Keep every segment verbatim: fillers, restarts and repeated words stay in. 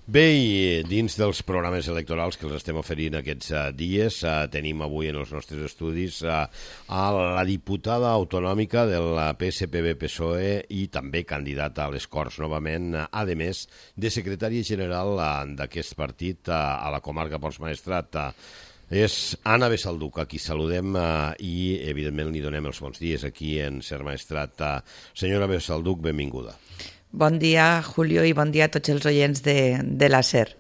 Bé, i dins dels programes electorals que els estem oferint aquests uh, dies, uh, tenim avui en els nostres estudis uh, a la diputada autonòmica del P S P B P S O E i també candidata a les Corts novament, uh, a més de secretària general uh, d'aquest partit uh, a la comarca Pons Maestrat. Uh, és Anna Besalduc, a qui saludem uh, i evidentment li donem els bons dies aquí en Ser Maestrat. Uh, senyora Besalduc, benvinguda. Bon dia, Julio, i bon dia a tots els oients de, de la SER.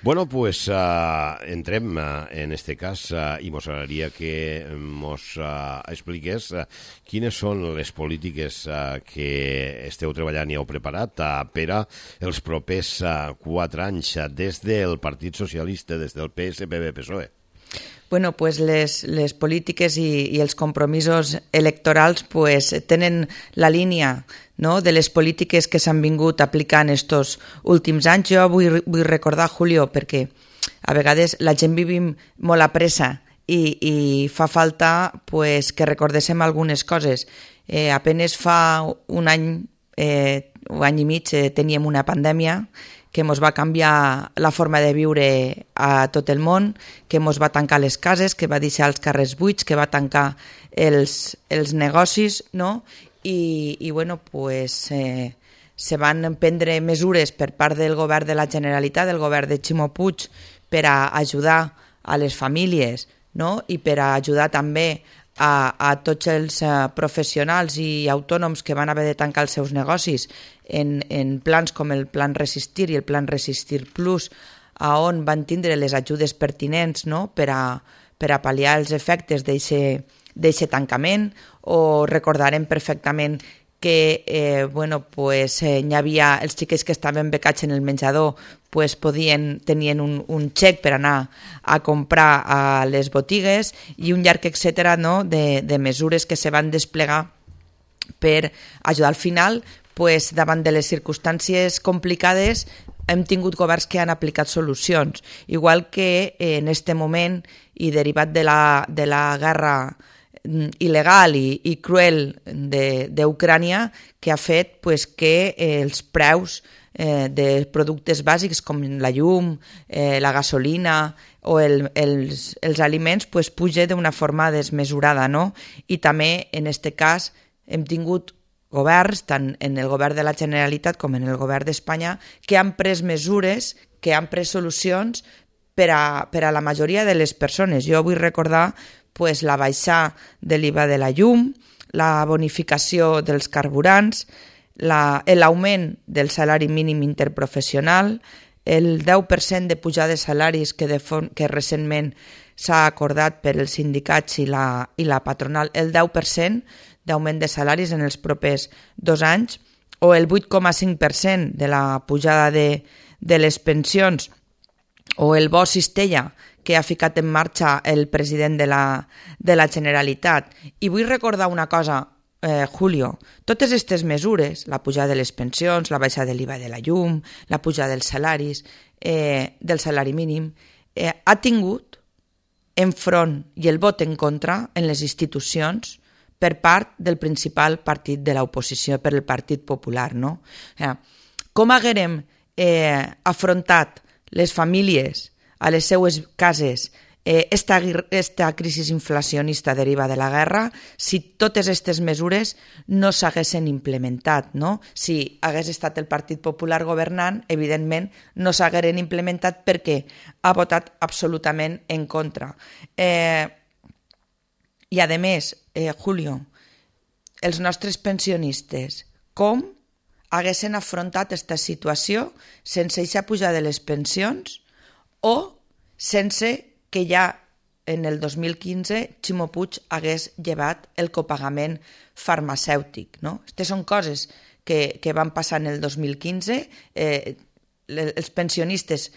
Bueno, pues uh, entrem uh, en este cas uh, i mos agradaria que mos uh, expliqués uh, quines són les polítiques uh, que esteu treballant i heu preparat uh, per a els propers uh, quatre anys uh, des del Partit Socialista, des del P S P B P S O E. Bueno, pues les, les polítiques i, i els compromisos electorals pues, tenen la línia, no?, de les polítiques que s'han vingut aplicant estos últims anys. Jo vull, vull recordar, Julio, perquè a vegades la gent vivim molt a pressa i, i fa falta pues, que recordéssim algunes coses. Eh, apenes fa un any, eh, un any i mig, eh, teníem una pandèmia que ens va canviar la forma de viure a tot el món, que ens va tancar les cases, que va deixar els carrers buits, que va tancar els, els negocis, no? I, i bueno, pues, eh, se van prendre mesures per part del govern de la Generalitat, del govern de Ximo Puig, per a ajudar a les famílies, no? I per a ajudar també a, a tots els uh, professionals i autònoms que van haver de tancar els seus negocis en, en plans com el Plan Resistir i el Plan Resistir Plus, a on van tindre les ajudes pertinents, no?, per a, per a pal·liar els efectes d'aquest tancament. O recordarem perfectament que eh, bueno, pues, eh, hi havia els xiquets que estaven becats en el menjador, pues, podien, tenien un, un xec per anar a comprar a les botigues i un llarg etcètera, no?, de, de mesures que se van desplegar per ajudar. Al final, pues, davant de les circumstàncies complicades, hem tingut governs que han aplicat solucions, igual que eh, en este moment i derivat de la, de la guerra il·legal i, i cruel d'Ucrània, que ha fet pues, que eh, els preus eh, de productes bàsics com la llum, eh, la gasolina o el, els, els aliments pues, puja d'una forma desmesurada, no? I també en aquest cas hem tingut governs, tant en el govern de la Generalitat com en el govern d'Espanya, que han pres mesures, que han pres solucions per a, per a la majoria de les persones. Jo vull recordar pues, la baixada de l'I V A de la llum, la bonificació dels carburants, l'augment del salari mínim interprofessional, el deu per cent de pujada de salaris que, de fon, que recentment s'ha acordat per els sindicats i la, i la patronal, el deu per cent d'augment de salaris en els propers dos anys, o el vuit coma cinc per cent de la pujada de, de les pensions, o el bo cistella que ha ficat en marxa el president de la, de la Generalitat. I vull recordar una cosa, eh, Julio, totes aquestes mesures, la pujada de les pensions, la baixada de l'I V A de la llum, la pujada dels salaris, eh, del salari mínim, eh, ha tingut enfront i el vot en contra en les institucions per part del principal partit de l'oposició, per el Partit Popular, no? Eh, com haguérem eh, afrontat les famílies a les seues cases eh, esta, esta crisi inflacionista deriva de la guerra si totes aquestes mesures no s'haguessin implementat, no? Si hagués estat el Partit Popular governant, evidentment no s'hagueren implementat perquè ha votat absolutament en contra. Eh, I a més, eh, Julio, els nostres pensionistes, com haguessin afrontat aquesta situació sense aquesta pujada de les pensions o sense que ja en el dos mil quinze Ximo Puig hagués llevat el copagament farmacèutic, no? Aquestes són coses que, que van passar en el dos mil quinze. Eh, els pensionistes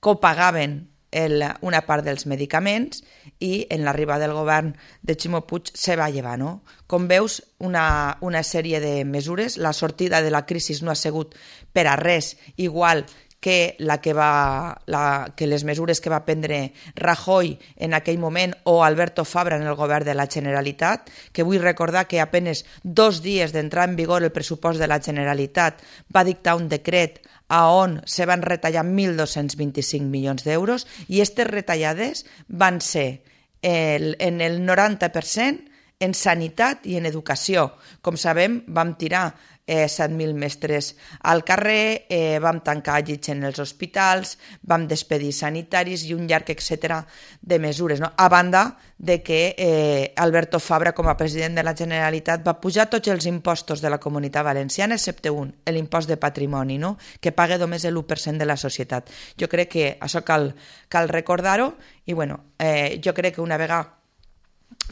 copagaven el, una part dels medicaments i en l'arribada del govern de Ximo Puig se va llevar, no? Com veus, una, una sèrie de mesures. La sortida de la crisi no ha sigut per a res igual que, la que, va, la, que les mesures que va prendre Rajoy en aquell moment o Alberto Fabra en el govern de la Generalitat, que vull recordar que apenes dos dies d'entrar en vigor el pressupost de la Generalitat va dictar un decret a on se van retallar mil dos-cents vint-i-cinc milions d'euros i aquestes retallades van ser el, en el noranta per cent en sanitat i en educació. Com sabem, vam tirar eh, set mil mestres al carrer, eh, vam tancar llits en els hospitals, vam despedir sanitaris i un llarg etcètera de mesures, no? A banda de que eh, Alberto Fabra, com a president de la Generalitat, va pujar tots els impostos de la Comunitat Valenciana, excepte un, l'impost de patrimoni, no? Que paga només l'u per cent de la societat. Jo crec que això cal, cal recordar-ho i bueno, eh, jo crec que una vegada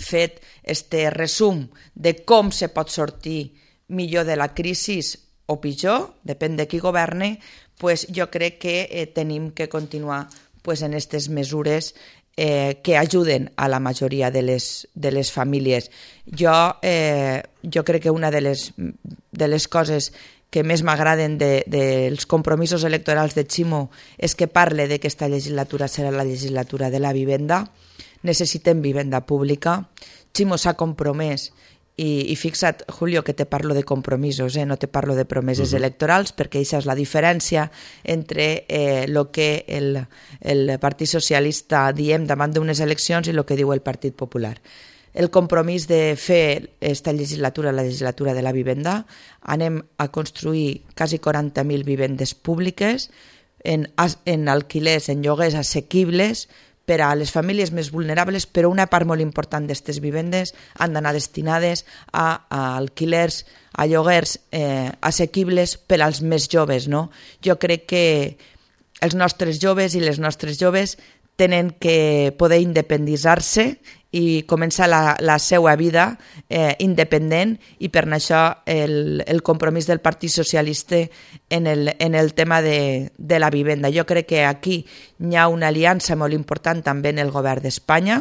fet este resum de com se pot sortir millor de la crisi o pitjor, depèn de qui governe, pues jo crec que eh, tenim que continuar pues, en aquestes mesures eh, que ajuden a la majoria de les, de les famílies. Jo, eh, jo crec que una de les, de les coses que més m'agraden dels de, de compromisos electorals de Ximo és que parle de que aquesta legislatura serà la legislatura de la vivenda. Necessitem vivenda pública. Ximo s'ha compromès i, i fixa't, Julio, que te parlo de compromisos, eh? No te parlo de promeses uh-huh. electorals, perquè això és la diferència entre eh, lo que el, el Partit Socialista diem davant d'unes eleccions i el que diu el Partit Popular. El compromís de fer esta legislatura, la legislatura de la vivenda, anem a construir quasi quaranta mil vivendes públiques en, en alquilers, en lloguers assequibles, per a les famílies més vulnerables, però una part molt important d'aquestes vivendes han d'anar destinades a, a alquilers, a lloguers eh, assequibles per als més joves, no? Jo crec que els nostres joves i les nostres joves tenen que poder independitzar-se i començar la, la seva vida eh, independent i per això el, el compromís del Partit Socialista en el, en el tema de, de la vivenda. Jo crec que aquí hi ha una aliança molt important també en el govern d'Espanya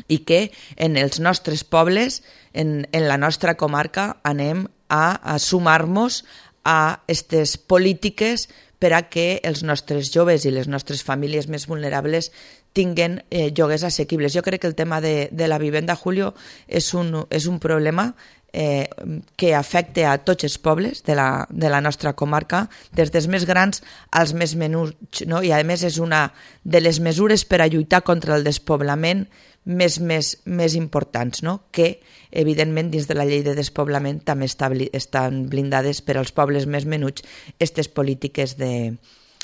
i que en els nostres pobles, en, en la nostra comarca, anem a, a sumar-nos a aquestes polítiques per a que els nostres joves i les nostres famílies més vulnerables tinguen eh, lloguers assequibles. Jo crec que el tema de, de la vivenda, Julio, és un, és un problema eh, que afecta a tots els pobles de la, de la nostra comarca, des dels més grans als més menuts, no? I a més és una de les mesures per a lluitar contra el despoblament més, més, més importants, no? Que evidentment dins de la llei de despoblament també està, estan blindades per als pobles més menuts aquestes polítiques de,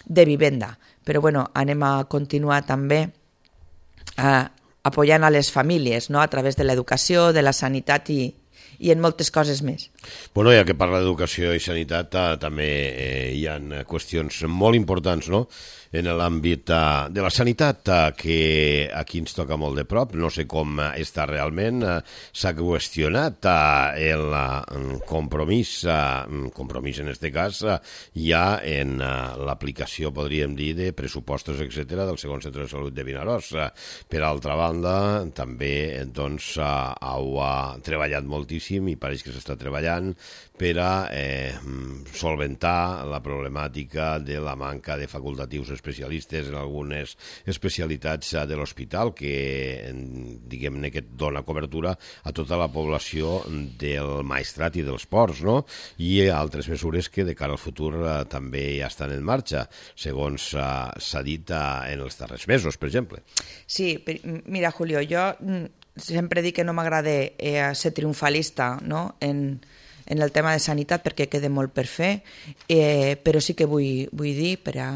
de vivenda. Però bueno, anem a continuar també eh, apoyant a les famílies, no? A través de l'educació, de la sanitat i, i en moltes coses més. Bueno, ja que parla d'educació i sanitat, eh, també eh, hi ha qüestions molt importants, no?, en l'àmbit uh, de la sanitat, uh, que aquí ens toca molt de prop. No sé com uh, està realment. Uh, S'ha qüestionat uh, el uh, compromís, uh, compromís en aquest cas, uh, ja en uh, l'aplicació, podríem dir, de pressupostos, etcètera, del segon centre de salut de Vinaròs. Uh, per altra banda, també doncs, uh, heu uh, treballat moltíssim i pareix que s'està treballant per a eh, solventar la problemàtica de la manca de facultatius especialistes en algunes especialitats de l'hospital que, diguem-ne, que dona cobertura a tota la població del Maestrat i dels ports, no? I altres mesures que de cara al futur eh, també ja estan en marxa, segons eh, s'ha dit eh, en els darrers mesos, per exemple. Sí, mira, Julio, jo sempre dic que no m'agrada eh, ser triomfalista, no?, en en el tema de sanitat perquè queda molt per fer, eh, però sí que vull, vull dir, per a,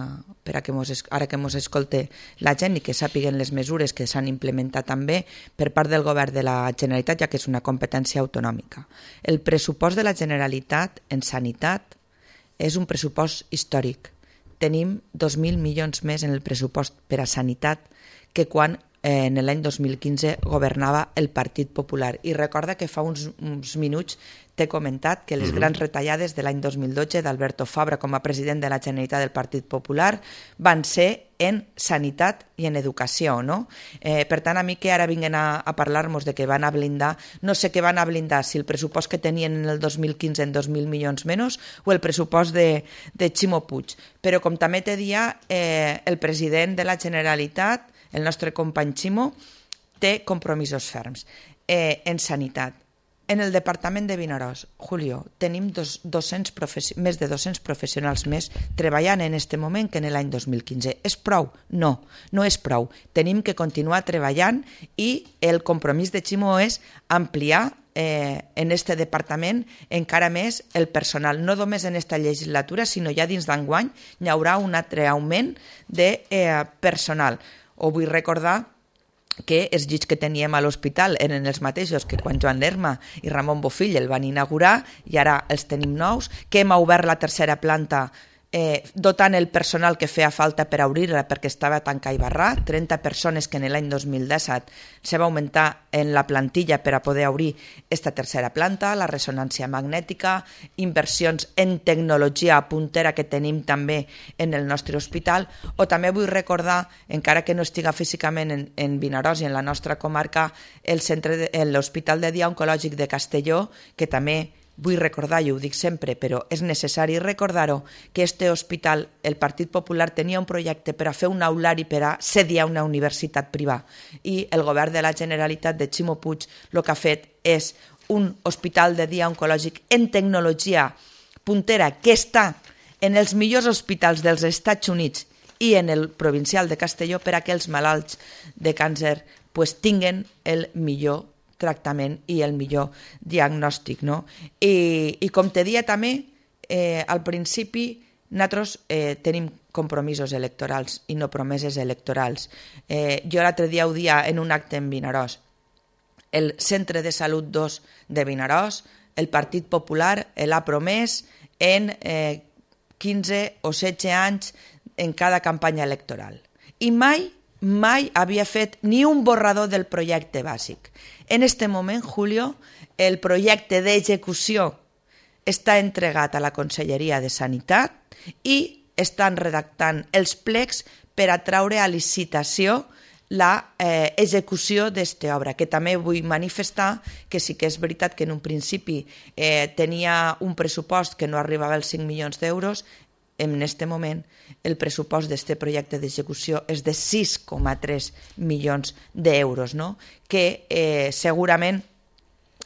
per a que mos, ara que ens escolte la gent i que sàpiguen les mesures que s'han implementat també per part del govern de la Generalitat, ja que és una competència autonòmica. El pressupost de la Generalitat en sanitat és un pressupost històric. Tenim dos mil milions més en el pressupost per a sanitat que quan en l'any dos mil quinze governava el Partit Popular. I recorda que fa uns, uns minuts t'he comentat que les uh-huh. grans retallades de l'any dos mil dotze d'Alberto Fabra com a president de la Generalitat del Partit Popular van ser en sanitat i en educació, no? Eh, per tant, a mi que ara vinguen a, a parlar-nos de que van a blindar, no sé què van a blindar, si el pressupost que tenien en el dos mil quinze en dos mil milions menys o el pressupost de, de Ximo Puig. Però com també te dia, eh, el president de la Generalitat, el nostre company Ximo, té compromisos ferms eh, en sanitat. En el departament de Vinaròs, Julio, tenim dos, dos-cents professi- més de dos-cents professionals més treballant en aquest moment que en l'any dos mil quinze. És prou? No, no és prou. Tenim que continuar treballant i el compromís de Ximo és ampliar eh, en este departament encara més el personal. No només en aquesta legislatura, sinó ja dins d'enguany hi haurà un altre augment de eh, personal. Ho vull recordar que els llits que teníem a l'hospital eren els mateixos que quan Joan Lerma i Ramon Bofill el van inaugurar i ara els tenim nous, que hem obert la tercera planta eh, dotant el personal que feia falta per obrir-la perquè estava tancat i barrat, trenta persones que en l'any dos mil disset se va augmentar en la plantilla per a poder obrir esta tercera planta, la ressonància magnètica, inversions en tecnologia puntera que tenim també en el nostre hospital, o també vull recordar, encara que no estiga físicament en, en Vinaròs i en la nostra comarca, el centre de, l'Hospital de Dia Oncològic de Castelló, que també vull recordar, i ho dic sempre, però és necessari recordar-ho, que este hospital, el Partit Popular tenia un projecte per a fer un aulari per a sediar una universitat privada i el govern de la Generalitat de Ximo Puig el que ha fet és un hospital de dia oncològic en tecnologia puntera que està en els millors hospitals dels Estats Units i en el provincial de Castelló per a que els malalts de càncer pues, tinguen el millor tractament i el millor diagnòstic, no? I, i com te dia també, eh, al principi nosaltres eh, tenim compromisos electorals i no promeses electorals. Eh, jo l'altre dia ho dia en un acte en Vinaròs. El Centre de Salut dos de Vinaròs, el Partit Popular l'ha promès en eh, quinze o setze anys en cada campanya electoral. I mai mai havia fet ni un borrador del projecte bàsic. En este moment, Julio, el projecte d'execució està entregat a la Conselleria de Sanitat i estan redactant els plecs per a traure a licitació la eh, execució d'esta obra, que també vull manifestar que sí que és veritat que en un principi eh, tenia un pressupost que no arribava als cinc milions d'euros. En aquest moment el pressupost d'aquest projecte d'execució és de sis coma tres milions d'euros, no? Que eh, segurament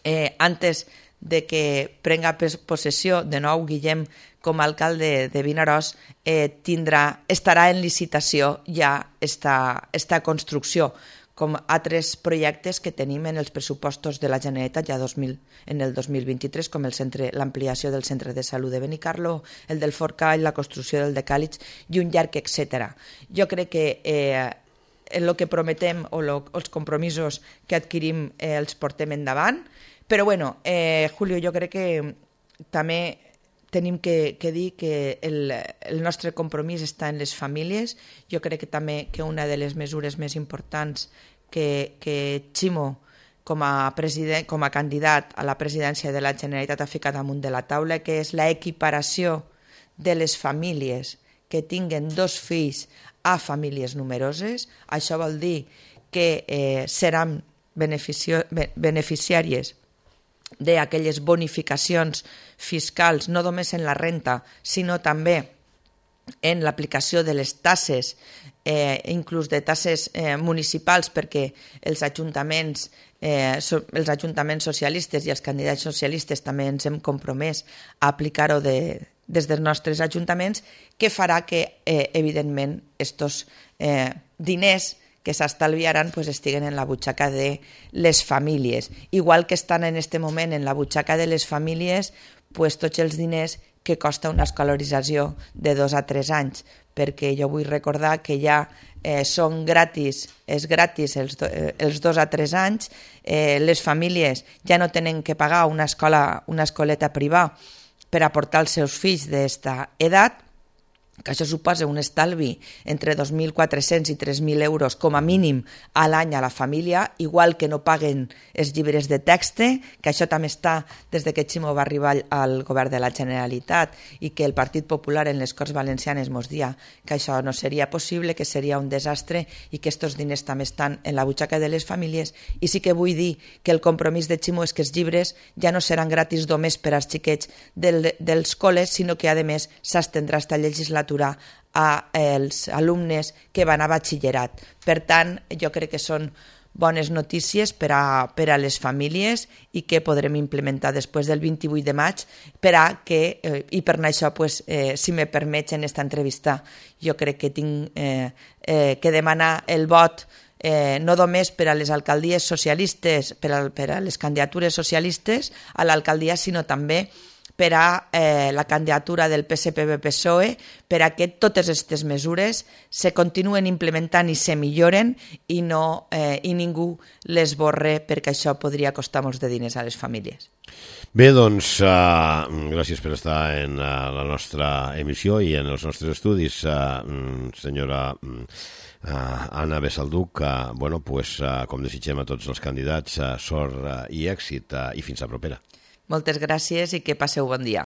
eh, antes de que prenga possessió de nou Guillem com a alcalde de Vinaròs eh, tindrà, estarà en licitació ja esta, esta construcció, com altres projectes que tenim en els pressupostos de la Generalitat ja dos mil, en el dos mil vint-i-tres, com el centre, l'ampliació del centre de salut de Benicarló, el del Forcall, la construcció del de Càlig i un llarg, etcètera. Jo crec que eh, el que prometem o lo, els compromisos que adquirim eh, els portem endavant, però bueno, eh, Julio, jo crec que també tenim que, que dir que el, el nostre compromís està en les famílies. Jo crec que també que una de les mesures més importants que, que Ximo, com a, president, com a candidat a la presidència de la Generalitat, ha ficat damunt de la taula, que és la equiparació de les famílies que tinguen dos fills a famílies numeroses. Això vol dir que eh, seran beneficio, beneficiàries d'aquelles bonificacions fiscals, no només en la renta, sinó també en l'aplicació de les tasses, eh, inclús de tasses eh, municipals, perquè els ajuntaments, eh, so, els ajuntaments socialistes i els candidats socialistes també ens hem compromès a aplicar-ho de, des dels nostres ajuntaments, que farà que, eh, evidentment, estos eh, diners que s'estalviaran pues, estiguen en la butxaca de les famílies. Igual que estan en aquest moment en la butxaca de les famílies pues, tots els diners que costa una escolarització de dos a tres anys, perquè jo vull recordar que ja eh, són gratis, és gratis els, do, eh, els dos a tres anys, eh, les famílies ja no tenen que pagar una escola, una escoleta privada per aportar els seus fills d'esta edat, que això suposa un estalvi entre dos mil quatre-cents i tres mil euros com a mínim a l'any a la família, igual que no paguen els llibres de text, que això també està des que Ximo va arribar al govern de la Generalitat i que el Partit Popular en les Corts Valencianes mos dia que això no seria possible, que seria un desastre i que aquests diners també estan en la butxaca de les famílies. I sí que vull dir que el compromís de Ximo és que els llibres ja no seran gratis només per als xiquets del, dels col·les, sinó que a més s'estendrà esta legislatura als alumnes que van a batxillerat. Per tant, jo crec que són bones notícies per a, per a les famílies i que podrem implementar després del vint-i-vuit de maig per a que, eh, i per això, pues, eh, si me permets en esta entrevista, jo crec que tinc eh, eh, que demanar el vot eh, no només per a les alcaldies socialistes, per a, per a les candidatures socialistes a l'alcaldia, sinó també per a eh, la candidatura del P S P B P S O E, per a que totes aquestes mesures se continuen implementant i se milloren i, no, eh, i ningú les borre, perquè això podria costar molts de diners a les famílies. Bé, doncs, uh, gràcies per estar en uh, la nostra emissió i en els nostres estudis, uh, senyora uh, Anna Besalduc. Uh, bueno, pues, uh, com desitgem a tots els candidats, uh, sort uh, i èxit uh, i fins a propera. Moltes gràcies i que passeu bon dia.